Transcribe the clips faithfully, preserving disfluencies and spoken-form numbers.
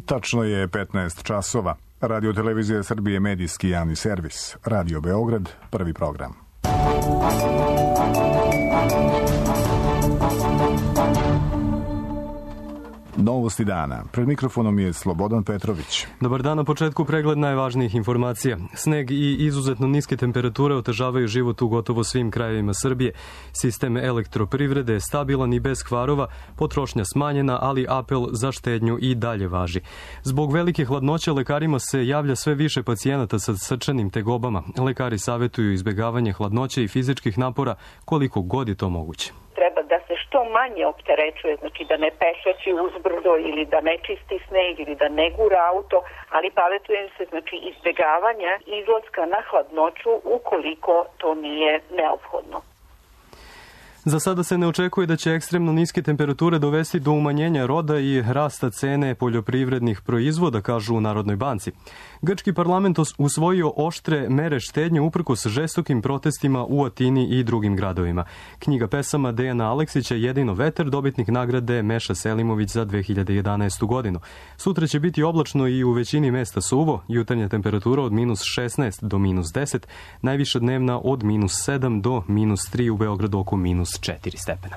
Tačno je petnaest časova. Radio Televizija Srbije, medijski javni servis. Radio Beograd, prvi program. Novosti dana. Pred mikrofonom je Slobodan Petrović. Dobar dan, na početku pregled najvažnijih informacija. Sneg i izuzetno niske temperature otežavaju život u gotovo svim krajevima Srbije. Sistem elektroprivrede je stabilan i bez kvarova, potrošnja smanjena, ali apel za štednju i dalje važi. Zbog velike hladnoće lekarima se javlja sve više pacijenata sa srčanim tegobama. Lekari savjetuju izbjegavanje hladnoće i fizičkih napora koliko god je to moguće. Treba da se što manje opterećuje, znači da ne pešači uzbrdo ili da ne čisti sneg ili da ne gura auto, ali pavetujem se znači izbjegavanja izlaska na hladnoću ukoliko to nije neophodno. Za sada se ne očekuje da će ekstremno niske temperature dovesti do umanjenja roda i rasta cene poljoprivrednih proizvoda, kažu u Narodnoj banci. Grčki parlament usvojio oštre mere štednje uprkos žestokim protestima u Atini i drugim gradovima. Knjiga pesama Dejana Aleksića Jedino vetar, dobitnik nagrade Meša Selimović za dve hiljade jedanaestu godinu. Sutra će biti oblačno i u većini mesta suvo, jutarnja temperatura od minus šesnaest do minus deset, najviša dnevna od minus sedam do minus tri, u Beogradu oko minus četiri stepena.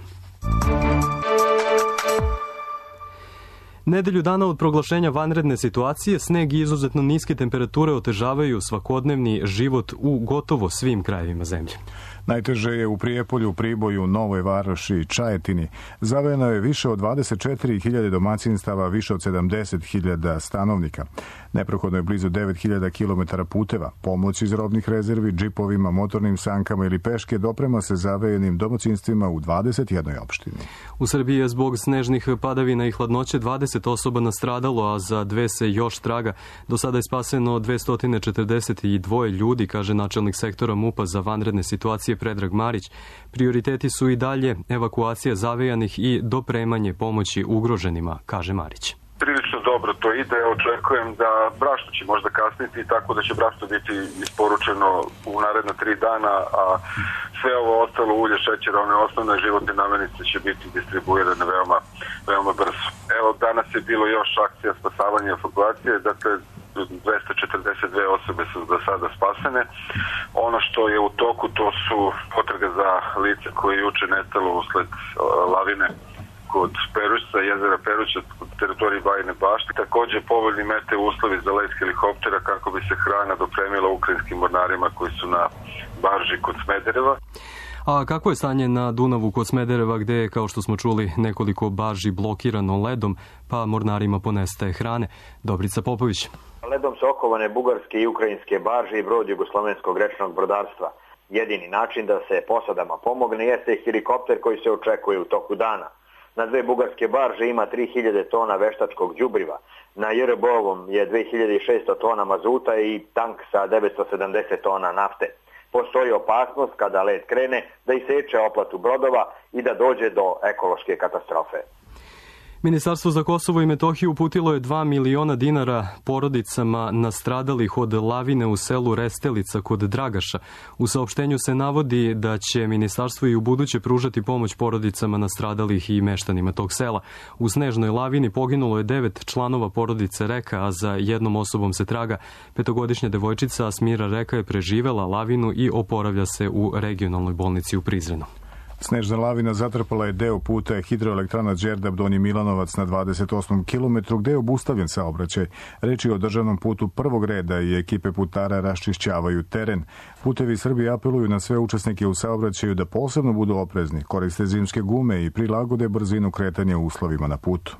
Nedelju dana od proglašenja vanredne situacije, sneg i izuzetno niske temperature otežavaju svakodnevni život u gotovo svim krajevima zemlje. Najteže je u Prijepolju, Priboju, Novoj Varoši i Čajetini. Zavejano je više od dvadeset četiri hiljade domaćinstava, više od sedamdeset hiljada stanovnika. Neprohodno je blizu devet hiljada kilometara puteva. Pomoć iz robnih rezervi, džipovima, motornim sankama ili peške doprema se zavejenim domaćinstvima u dvadeset jednoj opštini. U Srbiji je zbog snežnih padavina i hladnoće dvadeset osoba nastradalo, a za dve se još traga. Do sada je spaseno dvesta četrdeset dva ljudi, kaže načelnik sektora MUP-a za vanredne situacije Predrag Marić. Prioriteti su i dalje evakuacija zavejanih i dopremanje pomoći ugroženima, kaže Marić. Prilično dobro to ide, očekujem da brašno će možda kasniti, tako da će brašno biti isporučeno u naredna tri dana, a sve ovo ostalo ulje, šećer, one osnovne životne namirnice će biti distribuirane veoma, veoma brzo. Evo, danas je bilo još akcija spasavanja i evakuacije, dakle dvesta četrdeset dve osobe su do sada spasene. Ono što je u toku, to su potraga za lice koje je juče nestalo usled lavine kod Perućca, jezera Peruća, kod teritorije Bajine Bašte. Također povoljni meteo uslovi za let helikoptera kako bi se hrana dopremila ukrajinskim mornarima koji su na barži kod Smedereva. A kako je stanje na Dunavu kod Smedereva, gde je, kao što smo čuli, nekoliko barži blokirano ledom, pa mornarima ponestaje hrane? Dobrica Popović. Ledom su okovane bugarske i ukrajinske barže i brod jugoslovenskog rečnog brodarstva. Jedini način da se posadama pomogne jeste helikopter koji se očekuje u toku dana. Na dve bugarske barže ima tri hiljade tona veštačkog đubriva. Na J R B-ovom je dve hiljade šesto tona mazuta i tank sa devetsto sedamdeset tona nafte. Postoji opasnost kada led krene da iseče oplatu brodova i da dođe do ekološke katastrofe. Ministarstvo za Kosovo i Metohiju uputilo je dva miliona dinara porodicama nastradalih od lavine u selu Restelica kod Dragaša. U saopštenju se navodi da će ministarstvo i u buduće pružati pomoć porodicama nastradalih i meštanima tog sela. U snežnoj lavini poginulo je devet članova porodice Reka, a za jednom osobom se traga. Petogodišnja devojčica Asmira Reka je preživela lavinu i oporavlja se u regionalnoj bolnici u Prizrenu. Snežna lavina zatrpala je deo puta hidroelektrana Đerdap Donji Milanovac na dvadeset osmom kilometru, gde je obustavljen saobraćaj. Reč je o državnom putu prvog reda i ekipe putara raščišćavaju teren. Putevi Srbije apeluju na sve učesnike u saobraćaju da posebno budu oprezni, koriste zimske gume i prilagode brzinu kretanja uslovima na putu.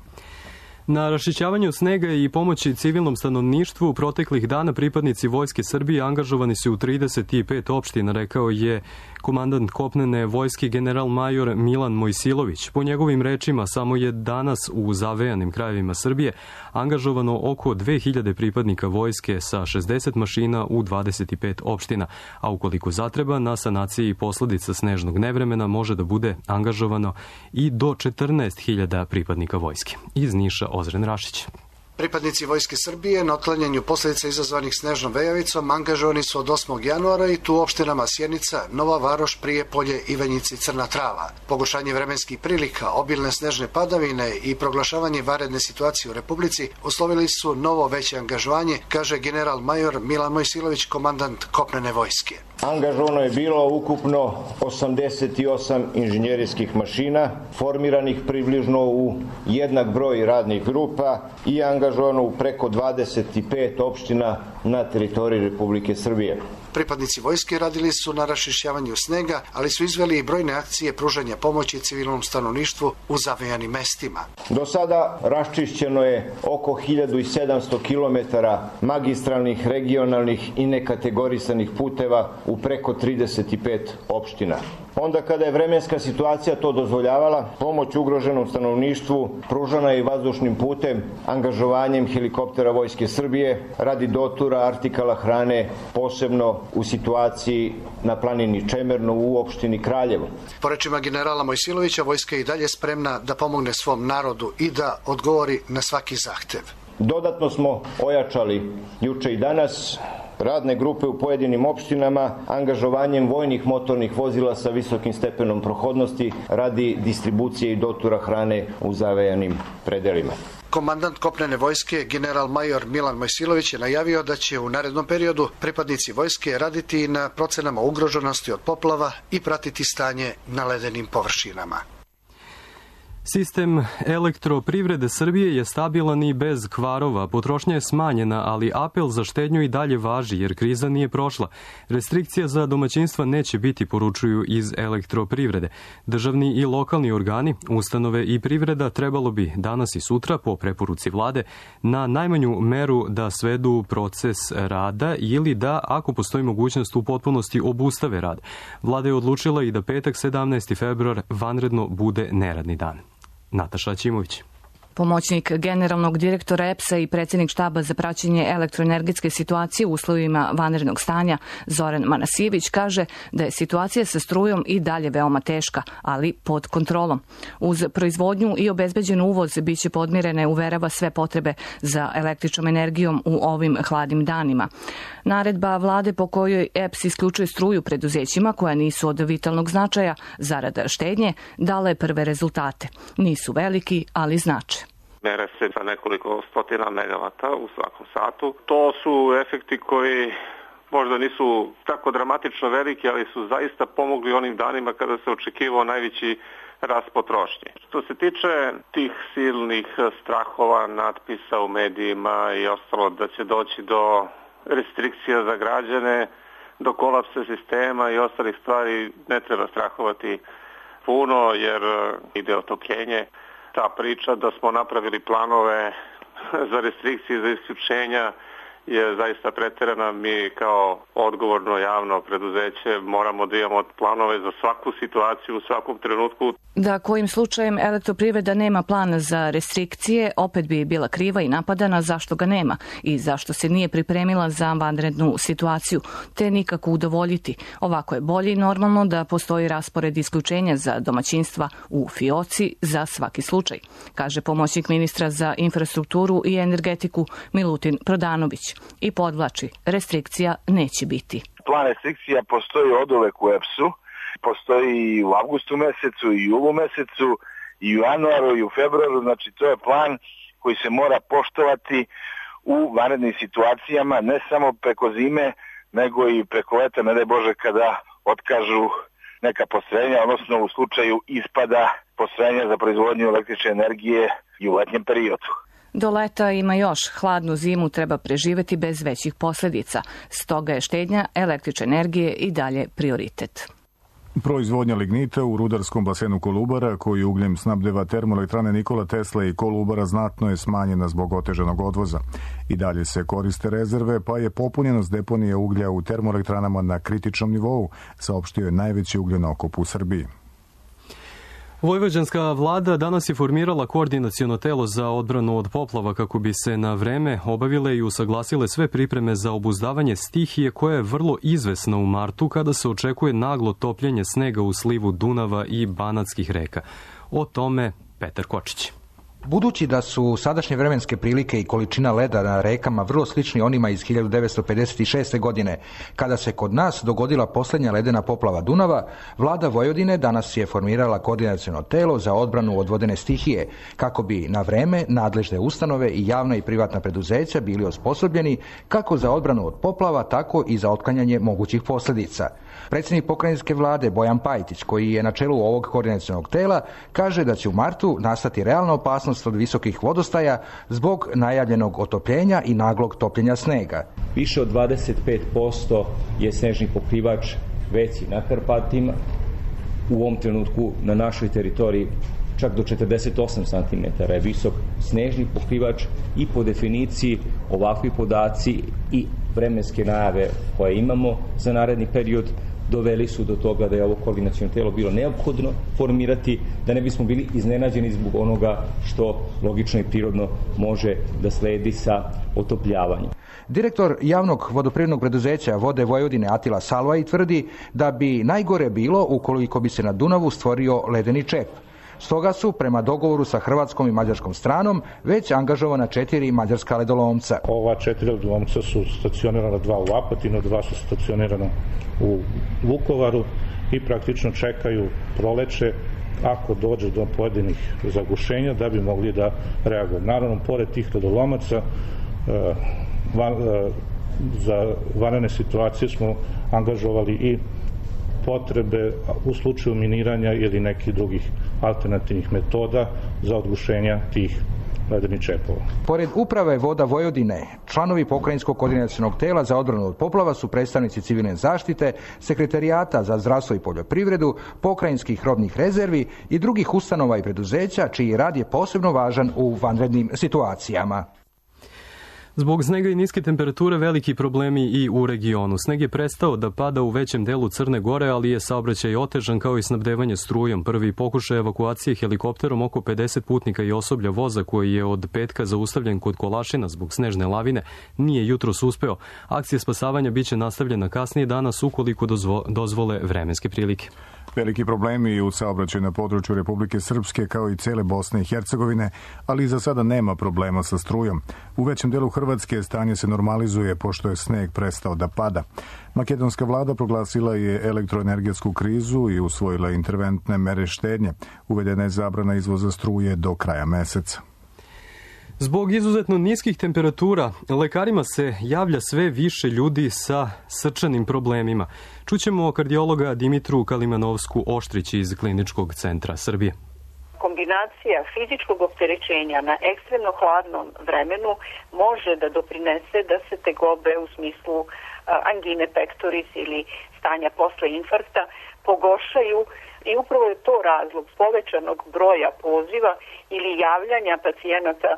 Na raščišćavanju snega i pomoći civilnom stanovništvu proteklih dana pripadnici Vojske Srbije angažovani su u trideset pet opština, rekao je komandant kopnene vojske general major Milan Mojsilović. Po njegovim rečima, samo je danas u zavejanim krajevima Srbije angažovano oko dve hiljade pripadnika vojske sa šezdeset mašina u dvadeset pet opština, a ukoliko zatreba, na sanaciji posledica snežnog nevremena može da bude angažovano i do četrnaest hiljada pripadnika vojske. Iz Niša Ozren Rašić. Pripadnici Vojske Srbije na otklanjanju posljedica izazvanih snežnom vejavicom angažovani su od osmog januara i tu u opštinama Sjenica, Nova Varoš, Prijepolje, Ivanjica i Crna Trava. Pogoršanje vremenskih prilika, obilne snežne padavine i proglašavanje vanredne situacije u Republici uslovili su novo veće angažovanje, kaže general major Milan Mojsilović, komandant kopnene vojske. Angažovano je bilo ukupno osamdeset osam inženjerijskih mašina, formiranih približno u jednak broj radnih grupa i angažovano u preko dvadeset pet opština na teritoriji Republike Srbije. Pripadnici vojske radili su na raščišćavanju snega, ali su izveli i brojne akcije pružanja pomoći civilnom stanovništvu u zavejanim mestima. Do sada raščišćeno je oko hiljadu sedamsto kilometara magistralnih, regionalnih i nekategorisanih puteva u preko trideset pet opština. Onda kada je vremenska situacija to dozvoljavala, pomoć ugroženom stanovništvu pružana je i vazdušnim putem, angažovanjem helikoptera Vojske Srbije radi dotura artikala hrane, posebno u situaciji na planini Čemerno u opštini Kraljevo. Po rečima generala Mojsilovića, vojska je i dalje spremna da pomogne svom narodu i da odgovori na svaki zahtev. Dodatno smo ojačali juče i danas radne grupe u pojedinim opštinama angažovanjem vojnih motornih vozila sa visokim stepenom prohodnosti radi distribucije i dotura hrane u zavejanim predelima. Komandant kopnene vojske, general major Milan Mojsilović, je najavio da će u narednom periodu pripadnici vojske raditi na procenama ugroženosti od poplava i pratiti stanje na ledenim površinama. Sistem elektroprivrede Srbije je stabilan i bez kvarova. Potrošnja je smanjena, ali apel za štednju i dalje važi jer kriza nije prošla. Restrikcija za domaćinstva neće biti, poručuju iz elektroprivrede. Državni i lokalni organi, ustanove i privreda trebalo bi danas i sutra po preporuci vlade na najmanju meru da svedu proces rada ili da, ako postoji mogućnost, u potpunosti obustave rad. Vlada je odlučila i da petak sedamnaesti februar vanredno bude neradni dan. Nataša Ćimović. Pomoćnik generalnog direktora E P S-a i predsjednik štaba za praćenje elektroenergetske situacije u uslovima vanrednog stanja Zoran Manasijević kaže da je situacija sa strujom i dalje veoma teška, ali pod kontrolom. Uz proizvodnju i obezbeđen uvoz biće podmirene, uverava, sve potrebe za električnom energijom u ovim hladnim danima. Naredba vlade po kojoj E P S isključuje struju preduzećima koja nisu od vitalnog značaja zarad štednje dala je prve rezultate. Nisu veliki, ali znače. Mere se za nekoliko stotina megavata u svakom satu. To su efekti koji možda nisu tako dramatično veliki, ali su zaista pomogli onim danima kada se očekivao najveći rast potrošnje. Što se tiče tih silnih strahova, natpisa u medijima i ostalo da će doći do restrikcija za građane, do kolapsa sistema i ostalih stvari, ne treba strahovati puno jer ide otopljenje. Ta priča da smo napravili planove za restrikcije, za isključenja je zaista preterana. Mi kao odgovorno javno preduzeće moramo da imamo planove za svaku situaciju u svakom trenutku. Da kojim slučajem elektroprivreda nema plan za restrikcije, opet bi bila kriva i napadana zašto ga nema i zašto se nije pripremila za vanrednu situaciju, te nikako udovoljiti. Ovako je bolje i normalno da postoji raspored isključenja za domaćinstva u fioci za svaki slučaj, kaže pomoćnik ministra za infrastrukturu i energetiku Milutin Prodanović i podvlači, restrikcija neće biti. Plan restrikcija postoji oduvek u E P S-u. Postoji i u avgustu mesecu, i u julu mesecu, i u januaru, i u februaru. Znači, to je plan koji se mora poštovati u vanrednim situacijama, ne samo preko zime, nego i preko leta, ne daj Bože, kada otkažu neka postrojenja, odnosno u slučaju ispada postrojenja za proizvodnju električne energije i u letnjem periodu. Do leta ima još, hladnu zimu treba preživeti bez većih posljedica, stoga je štednja električne energije i dalje prioritet. Proizvodnja lignita u rudarskom basenu Kolubara, koji ugljem snabdeva termoelektrane Nikola Tesla i Kolubara, znatno je smanjena zbog otežanog odvoza. I dalje se koriste rezerve, pa je popunjenost deponije uglja u termoelektranama na kritičnom nivou, saopštio je najveći ugljenokop u Srbiji. Vojvođanska vlada danas je formirala koordinaciono telo za odbranu od poplava kako bi se na vreme obavile i usaglasile sve pripreme za obuzdavanje stihije koja je vrlo izvesna u martu kada se očekuje naglo topljenje snega u slivu Dunava i Banatskih reka. O tome Petar Kočić. Budući da su sadašnje vremenske prilike i količina leda na rekama vrlo slični onima iz hiljadu devetsto pedeset šeste. godine, kada se kod nas dogodila posljednja ledena poplava Dunava, vlada Vojvodine danas je formirala koordinaciono telo za odbranu od vodene stihije, kako bi na vreme nadležne ustanove i javna i privatna preduzeća bili osposobljeni kako za odbranu od poplava, tako i za otklanjanje mogućih posljedica. Predsjednik pokrajinske vlade Bojan Pajtić, koji je na čelu ovog koordinacionog tela, kaže da će u martu nastati realna opasnost od visokih vodostaja zbog najavljenog otopljenja i naglog topljenja snega. Više od dvadeset pet posto je snežni pokrivač veći na Karpatima. U ovom trenutku na našoj teritoriji čak do četrdeset osam centimetara je visok snežni pokrivač i po definiciji ovakvi podaci i vremenske najave koje imamo za naredni period doveli su do toga da je ovo koordinaciono telo bilo neophodno formirati, da ne bismo bili iznenađeni zbog onoga što logično i prirodno može da sledi sa otopljavanjem. Direktor javnog vodoprivrednog preduzeća Vode Vojvodine Atila Salvaj tvrdi da bi najgore bilo ukoliko bi se na Dunavu stvorio ledeni čep. Stoga su, prema dogovoru sa hrvatskom i mađarskom stranom, već angažovana četiri mađarska ledolomca. Ova četiri ledolomca su stacionirana, dva u Apatinu, dva su stacionirana u Vukovaru i praktično čekaju proleće ako dođe do pojedinih zagušenja da bi mogli da reaguju. Naravno, pored tih ledolomaca, za vanredne situacije smo angažovali i potrebe u slučaju miniranja ili nekih drugih alternativnih metoda za odgušenja tih ledenih čepova. Pored uprave Voda Vojvodine, članovi pokrajinskog koordinacionog tela za odbranu od poplava su predstavnici civilne zaštite, sekretarijata za zdravstvo i poljoprivredu, pokrajinskih robnih rezervi i drugih ustanova i preduzeća čiji rad je posebno važan u vanrednim situacijama. Zbog snega i niske temperature veliki problemi i u regionu. Sneg je prestao da pada u većem delu Crne Gore, ali je saobraćaj otežan kao i snabdevanje strujom. Prvi pokušaj evakuacije helikopterom oko pedeset putnika i osoblja voza koji je od petka zaustavljen kod Kolašina zbog snežne lavine nije jutros uspeo. Akcija spasavanja biće nastavljena kasnije danas ukoliko dozvole vremenske prilike. Veliki problemi u saobraćaju na području Republike Srpske kao i cele Bosne i Hercegovine, ali za sada nema problema sa strujom. U većem delu Hrvatske stanje se normalizuje pošto je sneg prestao da pada. Makedonska vlada proglasila je elektroenergetsku krizu i usvojila interventne mere štednje. Uvedena je zabrana izvoza struje do kraja meseca. Zbog izuzetno niskih temperatura, lekarima se javlja sve više ljudi sa srčanim problemima. Čućemo kardiologa Dimitru Kalimanovsku-Oštrić iz Kliničkog centra Srbije. Kombinacija fizičkog opterećenja na ekstremno hladnom vremenu može da doprinese da se tegobe u smislu angine pectoris ili stanja posle infarkta pogoršaju i upravo je to razlog povećanog broja poziva ili javljanja pacijenata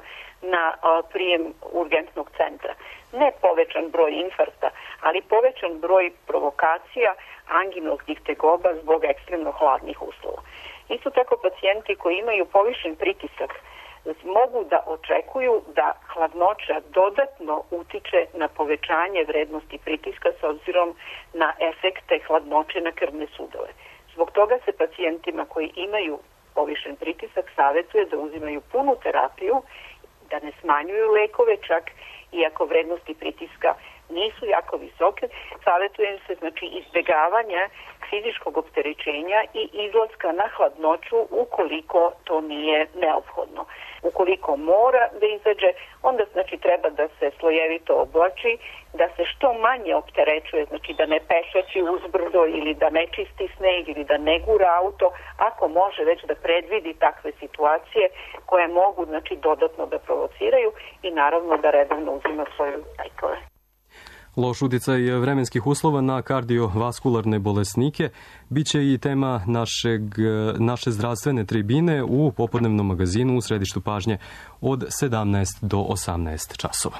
na prijem urgentnog centra. Ne povećan broj infarkta, ali povećan broj provokacija anginolognih tegoba zbog ekstremno hladnih uslova. Isto tako pacijenti koji imaju povišen pritisak mogu da očekuju da hladnoća dodatno utiče na povećanje vrednosti pritiska s obzirom na efekte hladnoće na krvne sudove. Zbog toga se pacijentima koji imaju povišen pritisak savjetuje da uzimaju punu terapiju, da ne smanjuju lekove čak iako vrednosti pritiska nisu jako visoke. Savjetuje se znači izbjegavanja fizičkog opterećenja i izlaska na hladnoću ukoliko to nije neophodno. Ukoliko mora da izađe, onda znači treba da se slojevito oblači, da se što manje opterećuje, znači da ne pešači uzbrdo ili da ne čisti sneg ili da ne gura auto, ako može već da predvidi takve situacije koje mogu znači dodatno da provociraju i naravno da redovno uzima svoje lekove. Loš uticaj vremenskih uslova na kardiovaskularne bolesnike biće i tema našeg, naše zdravstvene tribine u popodnevnom magazinu u središtu pažnje od sedamnaest do osamnaest časova.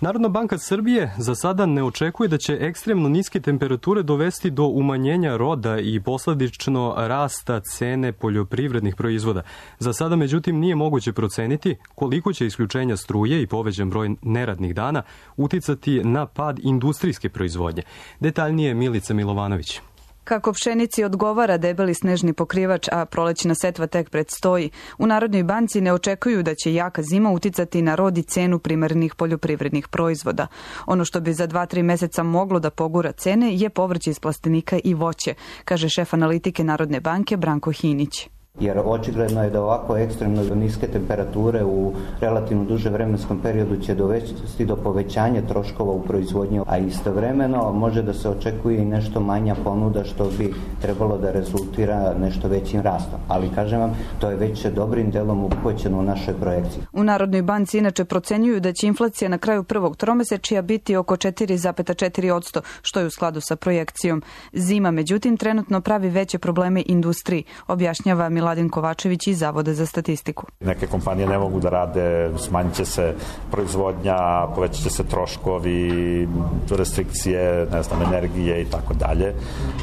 Narodna banka Srbije za sada ne očekuje da će ekstremno niske temperature dovesti do umanjenja roda i posledično rasta cene poljoprivrednih proizvoda. Za sada, međutim, nije moguće proceniti koliko će isključenja struje i povećan broj neradnih dana uticati na pad industrijske proizvodnje. Detaljnije Milica Milovanović. Kako pšenici odgovara debeli snežni pokrivač, a prolećna setva tek predstoji, u Narodnoj banci ne očekuju da će jaka zima uticati na rod i cenu primarnih poljoprivrednih proizvoda. Ono što bi za dva tri meseca moglo da pogura cene je povrće iz plastenika i voće, kaže šef analitike Narodne banke Branko Hinić. Jer očigledno je da ovako ekstremno niske temperature u relativno duže vremenskom periodu će dovesti do povećanja troškova u proizvodnji, a istovremeno može da se očekuje i nešto manja ponuda što bi trebalo da rezultira nešto većim rastom. Ali kažem vam, to je već dobrim delom upoćeno u našoj projekciji. U Narodnoj banci inače procenjuju da će inflacija na kraju prvog tromesečja biti oko četiri zarez četiri posto, što je u skladu sa projekcijom. Zima, međutim, trenutno pravi veće probleme industriji, objašnjava Miladin Kovačević iz Zavoda za statistiku. Neke kompanije ne mogu da rade, smanjit će se proizvodnja, povećat će se troškovi, restrikcije, ne znam, energije i tako dalje,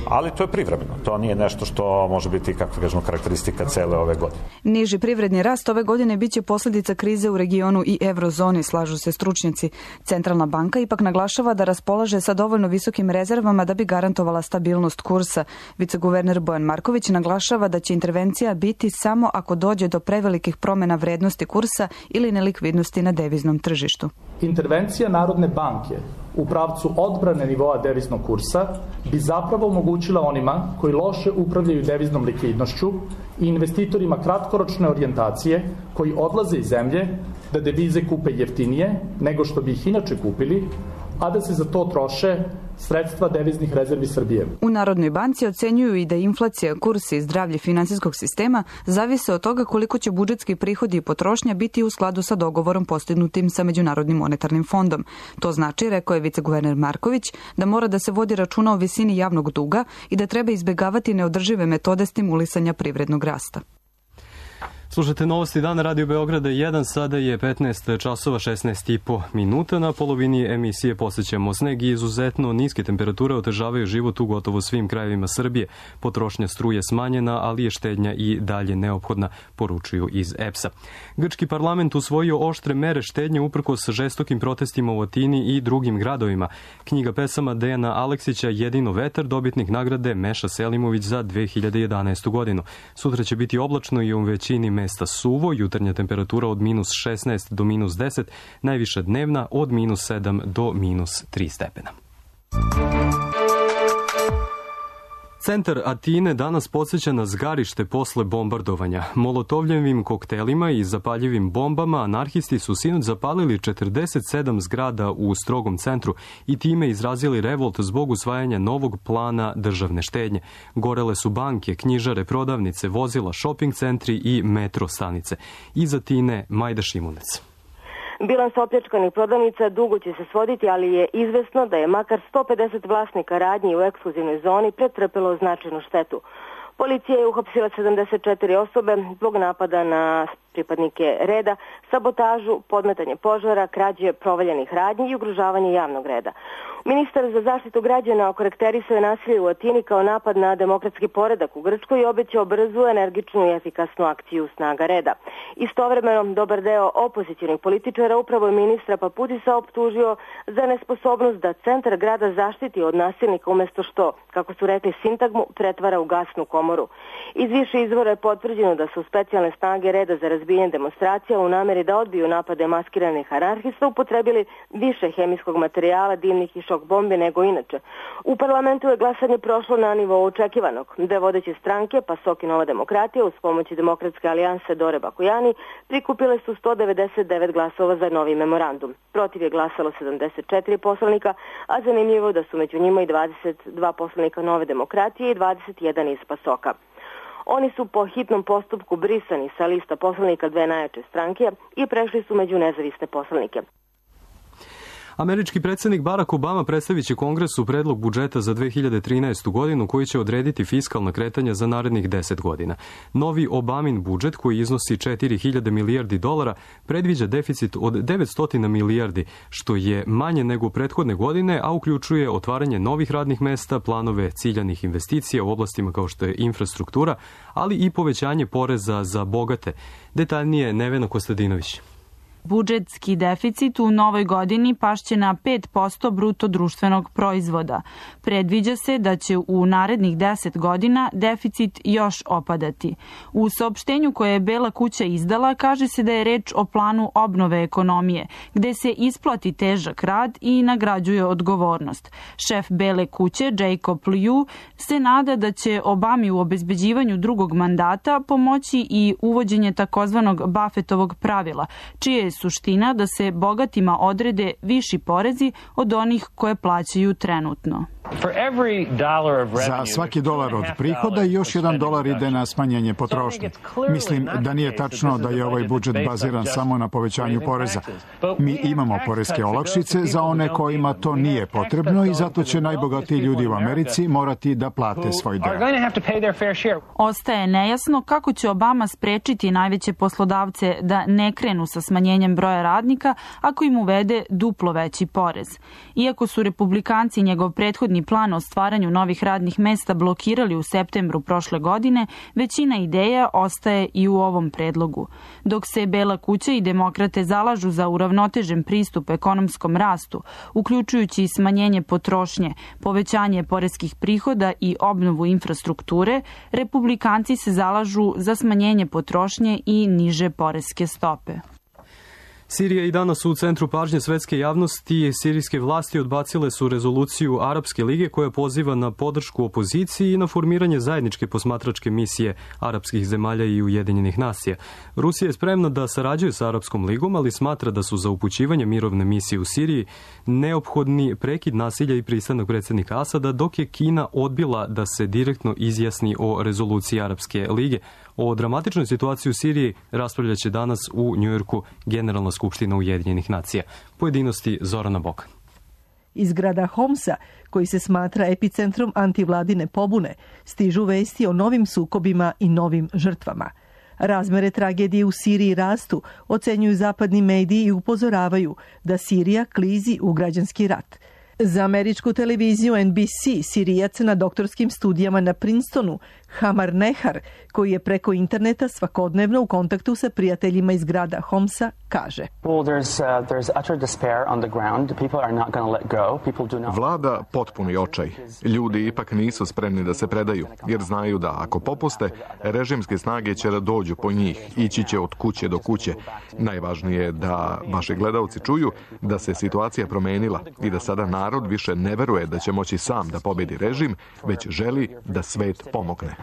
ali to je privremeno. To nije nešto što može biti, kako kažemo, karakteristika cele ove godine. Niži privredni rast ove godine biće posljedica krize u regionu i eurozoni, slažu se stručnjaci. Centralna banka ipak naglašava da raspolaže sa dovoljno visokim rezervama da bi garantovala stabilnost kursa. Viceguverner Bojan Marković naglašava da će intervencija biti samo ako dođe do prevelikih promjena vrednosti kursa ili nelikvidnosti na deviznom tržištu. Intervencija Narodne banke u pravcu odbrane nivoa deviznog kursa bi zapravo omogućila onima koji loše upravljaju deviznom likvidnošću i investitorima kratkoročne orijentacije koji odlaze iz zemlje da devize kupe jeftinije nego što bi ih inače kupili, a da se za to troše sredstva deviznih rezervi Srbije. U Narodnoj banci ocenjuju i da inflacija, kursi i zdravlje finansijskog sistema zavise od toga koliko će budžetski prihodi i potrošnja biti u skladu sa dogovorom postignutim sa Međunarodnim monetarnim fondom. To znači, rekao je viceguverner Marković, da mora da se vodi računa o visini javnog duga i da treba izbjegavati neodržive metode stimulisanja privrednog rasta. Slušajte novosti dana Radio Beograda jedan, sada je petnaest časova šesnaest i po minuta. Na polovini emisije posjećamo sneg i izuzetno niske temperature otežavaju život u gotovo svim krajevima Srbije. Potrošnja struje smanjena, ali je štednja i dalje neophodna, poručuju iz E P S-a. Grčki parlament usvojio oštre mere štednje uprkos žestokim protestima u Atini i drugim gradovima. Knjiga pesama Dejana Aleksića Jedino vetar, dobitnik nagrade Meša Selimović za dve hiljade jedanaestu godinu. Sutra će biti oblačno i u većini mesta suvo, jutarnja temperatura od minus šesnaest do minus deset, najviša dnevna od minus sedam do minus tri stepena. Centar Atine danas podsjeća na zgarište posle bombardovanja. Molotovljevim koktelima i zapaljivim bombama anarhisti su sinoć zapalili četrdeset sedam zgrada u strogom centru i time izrazili revolt zbog usvajanja novog plana državne štednje. Gorele su banke, knjižare, prodavnice, vozila, shopping centri i metro stanice. Iz Atine Majda Šimunec. Bilans opljačkanih prodavnica dugo će se svoditi, ali je izvesno da je makar sto pedeset vlasnika radnji u ekskluzivnoj zoni pretrpelo značajnu štetu. Policija je uhapsila sedamdeset četiri osobe zbog napada na pripadnike reda, sabotažu, podmetanje požara, krađe provaljenih radnji i ugrožavanje javnog reda. Ministar za zaštitu građana okarakterisao je nasilje u Atini kao napad na demokratski poredak u Grčkoj i obećao brzu, energičnu i efikasnu akciju snaga reda. Istovremeno, dobar deo opozicionih političara upravo je ministra Paputisa optužio za nesposobnost da centar grada zaštiti od nasilnika umjesto što, kako su rekli, sintagmu pretvara u gasnu komoru. Iz više izvora je potvrđeno da su specijalne snage reda za razbijanje demonstracija u nameri da odbiju napade maskiranih anarhista upotrebili više hemijskog materijala, dimnih i šok bombi nego inače. U parlamentu je glasanje prošlo na nivou očekivanog. Dve vodeće stranke, PASOK i Nova demokratija, uz pomoći Demokratske alijanse Dore Bakujani, prikupile su sto devedeset devet glasova za novi memorandum. Protiv je glasalo sedamdeset četiri poslanika, a zanimljivo da su među njima i dvadeset dva poslanika Nove demokratije i dvadeset jedan iz PASOK-a. Oni su po hitnom postupku brisani sa lista poslanika dve najjače stranke i prešli su među nezavisne poslanike. Američki predsjednik Barack Obama predstavit će Kongresu predlog budžeta za dve hiljade trinaestu. godinu koji će odrediti fiskalna kretanja za narednih deset godina. Novi Obamin budžet, koji iznosi četiri hiljade milijardi dolara, predviđa deficit od devetsto milijardi, što je manje nego prethodne godine, a uključuje otvaranje novih radnih mesta, planove ciljanih investicija u oblastima kao što je infrastruktura, ali i povećanje poreza za bogate. Detaljnije Nevena Kostadinović. Budžetski deficit u novoj godini pašće na pet posto bruto društvenog proizvoda. Predviđa se da će u narednih deset godina deficit još opadati. U saopštenju koje je Bela kuća izdala kaže se da je reč o planu obnove ekonomije, gde se isplati težak rad i nagrađuje odgovornost. Šef Bele kuće, Jacob Liu, se nada da će Obami u obezbeđivanju drugog mandata pomoći i uvođenje takozvanog Buffettovog pravila, čije je suština da se bogatima odrede viši porezi od onih koje plaćaju trenutno. Za svaki dolar od prihoda još jedan dolar ide na smanjenje potrošnje. Mislim da nije tačno da je ovaj budžet baziran samo na povećanju poreza. Mi imamo poreske olakšice za one kojima to nije potrebno i zato će najbogatiji ljudi u Americi morati da plate svoj deo. Ostaje nejasno kako će Obama sprečiti najveće poslodavce da ne krenu sa smanjenjem broja radnika ako im uvede duplo veći porez. Iako su republikanci njegov prethodni plan o stvaranju novih radnih mesta blokirali u septembru prošle godine, većina ideja ostaje i u ovom predlogu. Dok se Bela kuća i demokrate zalažu za uravnotežen pristup ekonomskom rastu, uključujući i smanjenje potrošnje, povećanje poreskih prihoda i obnovu infrastrukture, republikanci se zalažu za smanjenje potrošnje i niže poreske stope. Sirija i danas u centru pažnje svetske javnosti. Sirijske vlasti odbacile su rezoluciju Arapske lige koja poziva na podršku opoziciji i na formiranje zajedničke posmatračke misije arapskih zemalja i Ujedinjenih nacija. Rusija je spremna da sarađuje sa Arapskom ligom, ali smatra da su za upućivanje mirovne misije u Siriji neophodni prekid nasilja i pristanak predsjednika Asada, dok je Kina odbila da se direktno izjasni o rezoluciji Arapske lige. O dramatičnoj situaciji u Siriji raspravljat će danas u Njujorku Generalna skupština Ujedinjenih nacija. Pojedinosti Zorana Bokan. Iz grada Homsa, koji se smatra epicentrom antivladine pobune, stižu vesti o novim sukobima i novim žrtvama. Razmere tragedije u Siriji rastu, ocenjuju zapadni mediji i upozoravaju da Sirija klizi u građanski rat. Za američku televiziju N B C Sirijac na doktorskim studijama na Princetonu, Hamar Nehar, koji je preko interneta svakodnevno u kontaktu sa prijateljima iz grada Homsa, kaže: Vlada potpuni očaj. Ljudi ipak nisu spremni da se predaju, jer znaju da ako popuste, režimske snage će da dođu po njih, ići će od kuće do kuće. Najvažnije je da vaši gledalci čuju da se situacija promenila i da sada narod više ne veruje da će moći sam da pobedi režim, već želi da svet pomogne.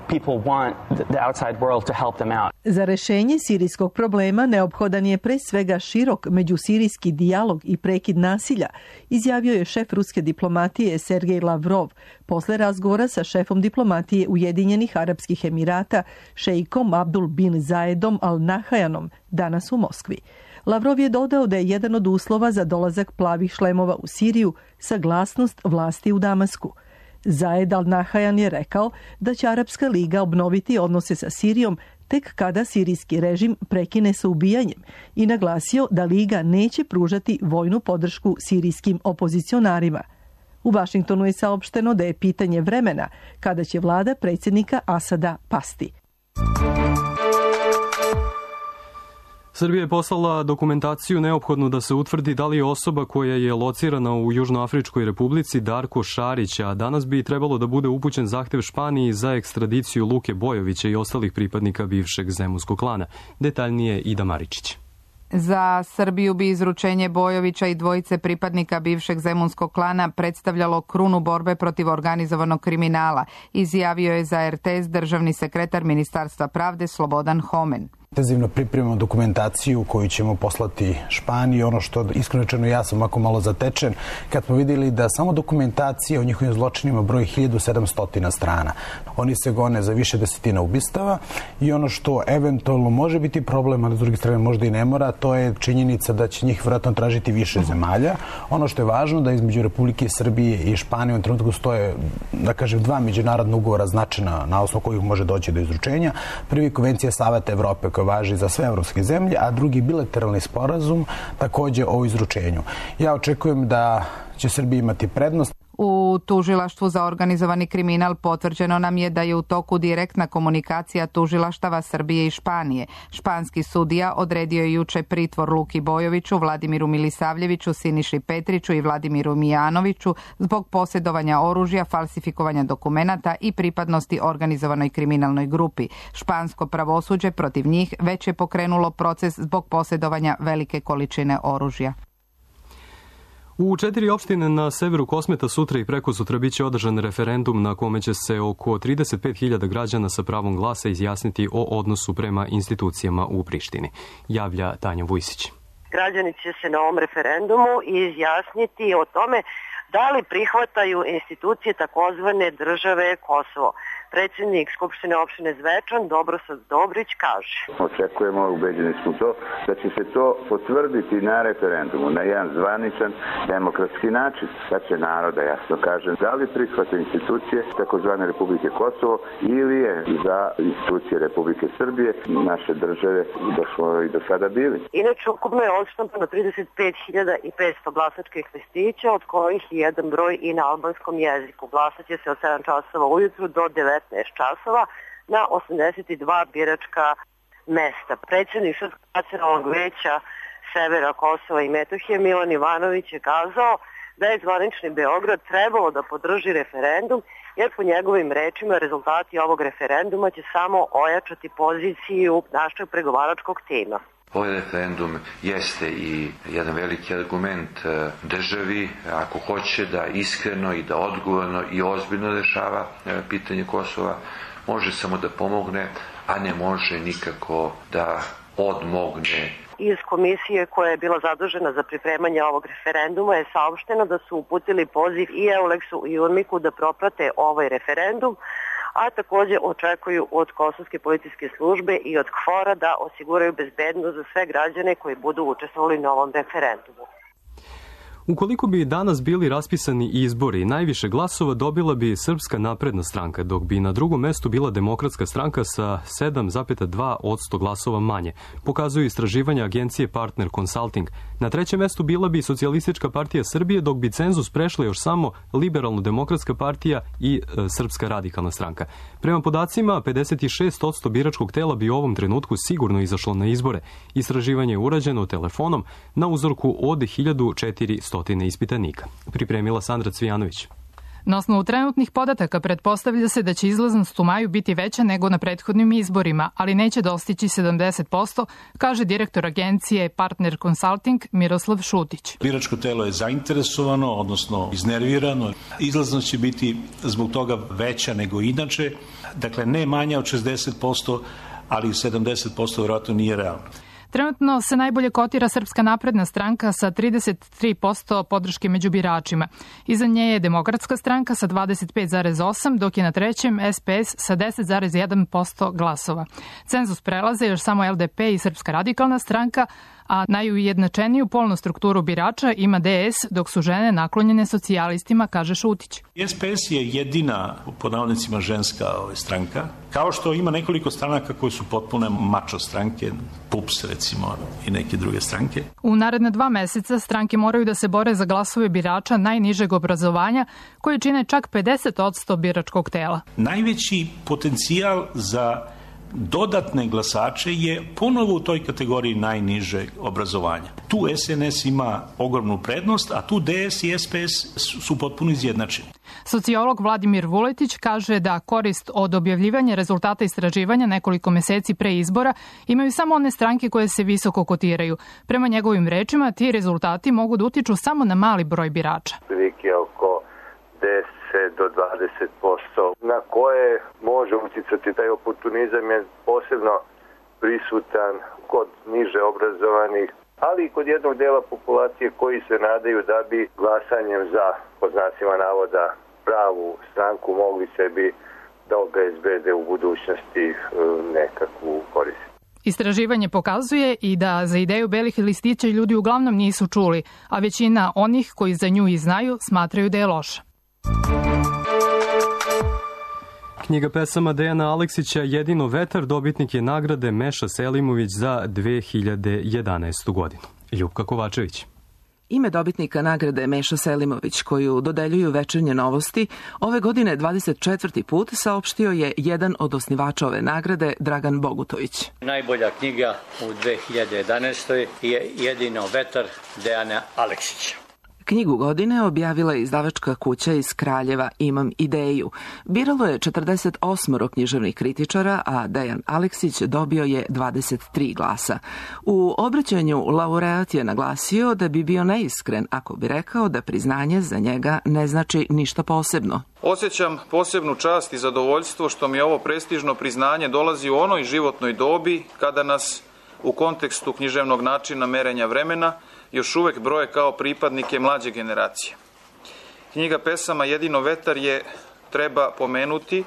Za rešenje sirijskog problema neophodan je pre svega širok međusirijski dijalog i prekid nasilja, izjavio je šef ruske diplomatije Sergej Lavrov posle razgovora sa šefom diplomatije Ujedinjenih Arapskih Emirata šejkom Abdul bin Zayedom Al Nahyanom danas u Moskvi. Lavrov je dodao da je jedan od uslova za dolazak plavih šlemova u Siriju saglasnost vlasti u Damasku. Zayed Al Nahyan je rekao da će Arapska liga obnoviti odnose sa Sirijom tek kada sirijski režim prekine sa ubijanjem i naglasio da liga neće pružati vojnu podršku sirijskim opozicionarima. U Vašingtonu je saopšteno da je pitanje vremena kada će vlada predsjednika Asada pasti. Srbija je poslala dokumentaciju neophodnu da se utvrdi da li je osoba koja je locirana u Južnoafričkoj republici Darko Šarić, a danas bi trebalo da bude upućen zahtev Španiji za ekstradiciju Luke Bojovića i ostalih pripadnika bivšeg zemunskog klana. Detaljnije Ida Maričić. Za Srbiju bi izručenje Bojovića i dvojice pripadnika bivšeg zemunskog klana predstavljalo krunu borbe protiv organizovanog kriminala, izjavio je za R T S državni sekretar Ministarstva pravde Slobodan Homen. Intenzivno pripremamo dokumentaciju koju ćemo poslati Španiji. Ono što, iskreno rečeno, ja sam ovako malo zatečen kad smo vidjeli da samo dokumentacija o njihovim zločinima broji hiljadu sedamsto strana. Oni se gone za više desetina ubistava i ono što eventualno može biti problem, a s druge strane možda i ne mora, to je činjenica da će njih vjerojatno tražiti više zemalja. Ono što je važno da između Republike Srbije i Španije u ovom trenutku stoje, da kažem, dva međunarodna ugovora značajna na osnovu kojih može doći do izručenja. Prvi Konvencija Saveta Evrope koja važi za sve evropske zemlje, a drugi bilateralni sporazum također o izručenju. Ja očekujem da će Srbija imati prednost. U U Tužilaštvu za organizovani kriminal potvrđeno nam je da je u toku direktna komunikacija tužilaštava Srbije i Španije. Španski sudija odredio je juče pritvor Luki Bojoviću, Vladimiru Milisavljeviću, Siniši Petriću i Vladimiru Mijanoviću zbog posjedovanja oružja, falsifikovanja dokumenata i pripadnosti organizovanoj kriminalnoj grupi. Špansko pravosuđe protiv njih već je pokrenulo proces zbog posjedovanja velike količine oružja. U četiri opštine na severu Kosmeta sutra i prekosutra biće održan referendum na kome će se oko trideset pet hiljada građana sa pravom glasa izjasniti o odnosu prema institucijama u Prištini, javlja Tanja Vujsić. Građani će se na ovom referendumu izjasniti o tome da li prihvataju institucije takozvane države Kosovo. Predsjednik Skupštine opštine Zvečan, Dobrosav Dobrić, kaže: Očekujemo, ubeđeni smo to, da će se to potvrditi na referendumu na jedan zvaničan demokratski način. Da će naroda jasno kaže da li prihvata institucije takozvane Republike Kosovo ili je za institucije Republike Srbije naše države da smo i do sada bili. Inače, ukupno je odštampano trideset pet hiljada petsto glasačkih listića, od kojih je jedan broj i na albanskom jeziku. Glasat će se od sedam časova ujutru do devetnaest časova na osamdeset dva biračka mesta. Predsjednik Srpskog nacionalnog veća Severa Kosova i Metohije Milan Ivanović je kazao da je zvanični Beograd trebalo da podrži referendum, jer po njegovim rečima rezultati ovog referenduma će samo ojačati poziciju našeg pregovaračkog tima. Ovaj referendum jeste i jedan veliki argument državi ako hoće da iskreno i da odgovorno i ozbiljno rešava pitanje Kosova, može samo da pomogne, a ne može nikako da odmogne. Iz komisije koja je bila zadužena za pripremanje ovog referenduma je saopšteno da su uputili poziv i Euleksu i Urmiku da proprate ovaj referendum, a također očekuju od Kosovske policijske službe i od K F O R-a da osiguraju bezbednost za sve građane koji budu učestvovali na ovom referendumu. Ukoliko bi danas bili raspisani izbori, najviše glasova dobila bi Srpska napredna stranka, dok bi na drugom mestu bila Demokratska stranka sa sedam zarez dva posto glasova manje, pokazuju istraživanja agencije Partner Consulting. Na trećem mestu bila bi Socijalistička partija Srbije, dok bi cenzus prešla još samo Liberalno-demokratska partija i e, Srpska radikalna stranka. Prema podacima, pedeset šest posto biračkog tela bi u ovom trenutku sigurno izašlo na izbore. Istraživanje je urađeno telefonom na uzorku od hiljadu četiristo ispitanika. Pripremila Sandra Cvijanović. Na osnovu trenutnih podataka pretpostavlja se da će izlaznost u maju biti veća nego na prethodnim izborima, ali neće dostići sedamdeset posto, kaže direktor agencije Partner Consulting Miroslav Šutić. Biračko telo je zainteresovano, odnosno iznervirano. Izlaznost će biti zbog toga veća nego inače. Dakle, ne manja od šezdeset posto, ali sedamdeset posto vjerojatno nije realno. Trenutno se najbolje kotira Srpska napredna stranka sa trideset tri posto podrške među biračima. Iza nje je Demokratska stranka sa dvadeset pet zarez osam, dok je na trećem S P S sa deset zarez jedan posto glasova. Cenzus prelaze još samo L D P i Srpska radikalna stranka, a najujednačeniju polnu strukturu birača ima D S, dok su žene naklonjene socijalistima, kaže Šutić. S P S je jedina, po navodnicima, ženska stranka, kao što ima nekoliko stranaka koje su potpune mačo stranke, P U P S recimo i neke druge stranke. U naredne dva meseca stranke moraju da se bore za glasove birača najnižeg obrazovanja, koji čine čak pedeset posto biračkog tela. Najveći potencijal za dodatne glasače je ponovo u toj kategoriji najnižeg obrazovanja. Tu S N S ima ogromnu prednost, a tu D S i S P S su potpuno izjednačeni. Sociolog Vladimir Vuletić kaže da korist od objavljivanja rezultata istraživanja nekoliko meseci pre izbora imaju samo one stranke koje se visoko kotiraju. Prema njegovim rečima, ti rezultati mogu da utiču samo na mali broj birača. Prilike oko deset do dvadeset posto na koje može uticati taj oportunizam je posebno prisutan kod niže obrazovanih, ali i kod jednog dela populacije koji se nadaju da bi glasanjem za, pod znacima navoda, pravu stranku mogli sebi da obezbede u budućnosti nekakvu korist. Istraživanje pokazuje i da za ideju belih listića ljudi uglavnom nisu čuli, a većina onih koji za nju i znaju smatraju da je loša. Knjiga pesama Dejana Aleksića Jedino vetar dobitnik je nagrade Meša Selimović za dve hiljade jedanaestu godinu. Ljupka Kovačević. Ime dobitnika nagrade Meša Selimović, koju dodeljuju Večernje novosti, ove godine dvadeset četvrti put saopštio je jedan od osnivača ove nagrade, Dragan Bogutović. Najbolja knjiga u dve hiljade jedanaestoj je Jedino vetar Dejana Aleksića. Knjigu godine objavila je izdavačka kuća iz Kraljeva Imam ideju. Biralo je četrdeset osam književnih kritičara, a Dejan Aleksić dobio je dvadeset tri glasa. U obraćanju laureat je naglasio da bi bio neiskren ako bi rekao da priznanje za njega ne znači ništa posebno. Osjećam posebnu čast i zadovoljstvo što mi ovo prestižno priznanje dolazi u onoj životnoj dobi kada nas u kontekstu književnog načina merenja vremena još uvek broje kao pripadnike mlađe generacije. Knjiga pesama Jedino vetar je, treba pomenuti,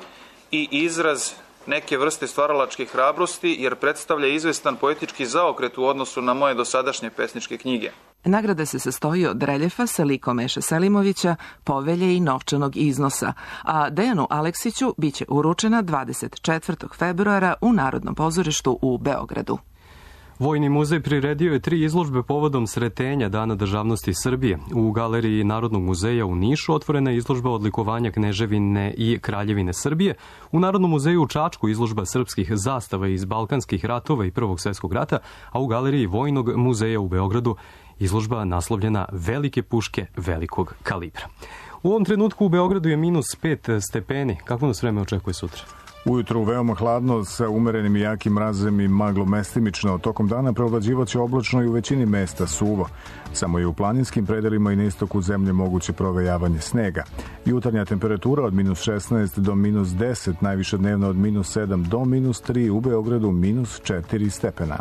i izraz neke vrste stvaralačke hrabrosti, jer predstavlja izvestan poetički zaokret u odnosu na moje dosadašnje pesničke knjige. Nagrada se sastoji od reljefa sa likom Meše Selimovića, povelje i novčanog iznosa, a Dejanu Aleksiću biće uručena dvadeset četvrtog februara u Narodnom pozorištu u Beogradu. Vojni muzej priredio je tri izložbe povodom sretenja Dana državnosti Srbije. U Galeriji Narodnog muzeja u Nišu otvorena je izložba odlikovanja Kneževine i Kraljevine Srbije. U Narodnom muzeju u Čačku izložba srpskih zastava iz Balkanskih ratova i Prvog svjetskog rata, a u Galeriji Vojnog muzeja u Beogradu izložba naslovljena Velike puške velikog kalibra. U ovom trenutku u Beogradu je minus pet stepeni. Kako nas vreme očekuje sutra? Ujutru veoma hladno sa umerenim i jakim mrazem i maglom mestimično. Tokom dana preovlađivaće oblačno i u većini mesta suvo. Samo je u planinskim predelima i na istoku zemlje moguće provejavanje snega. Jutarnja temperatura od minus šesnaest do minus deset, najviše dnevno od minus sedam do minus tri, u Beogradu minus četiri stepena.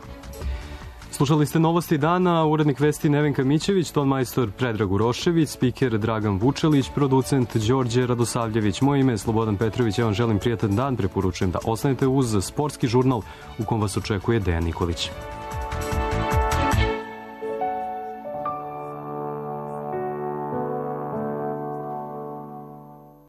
Slušali ste novosti dana, urednik vesti Nevenka Mićević, ton majstor Predrag Urošević, spiker Dragan Vučelić, producent Đorđe Radosavljević. Moje ime je Slobodan Petrović, ja vam želim prijatan dan, preporučujem da ostanete uz sportski žurnal u kom vas očekuje Dejan Nikolić.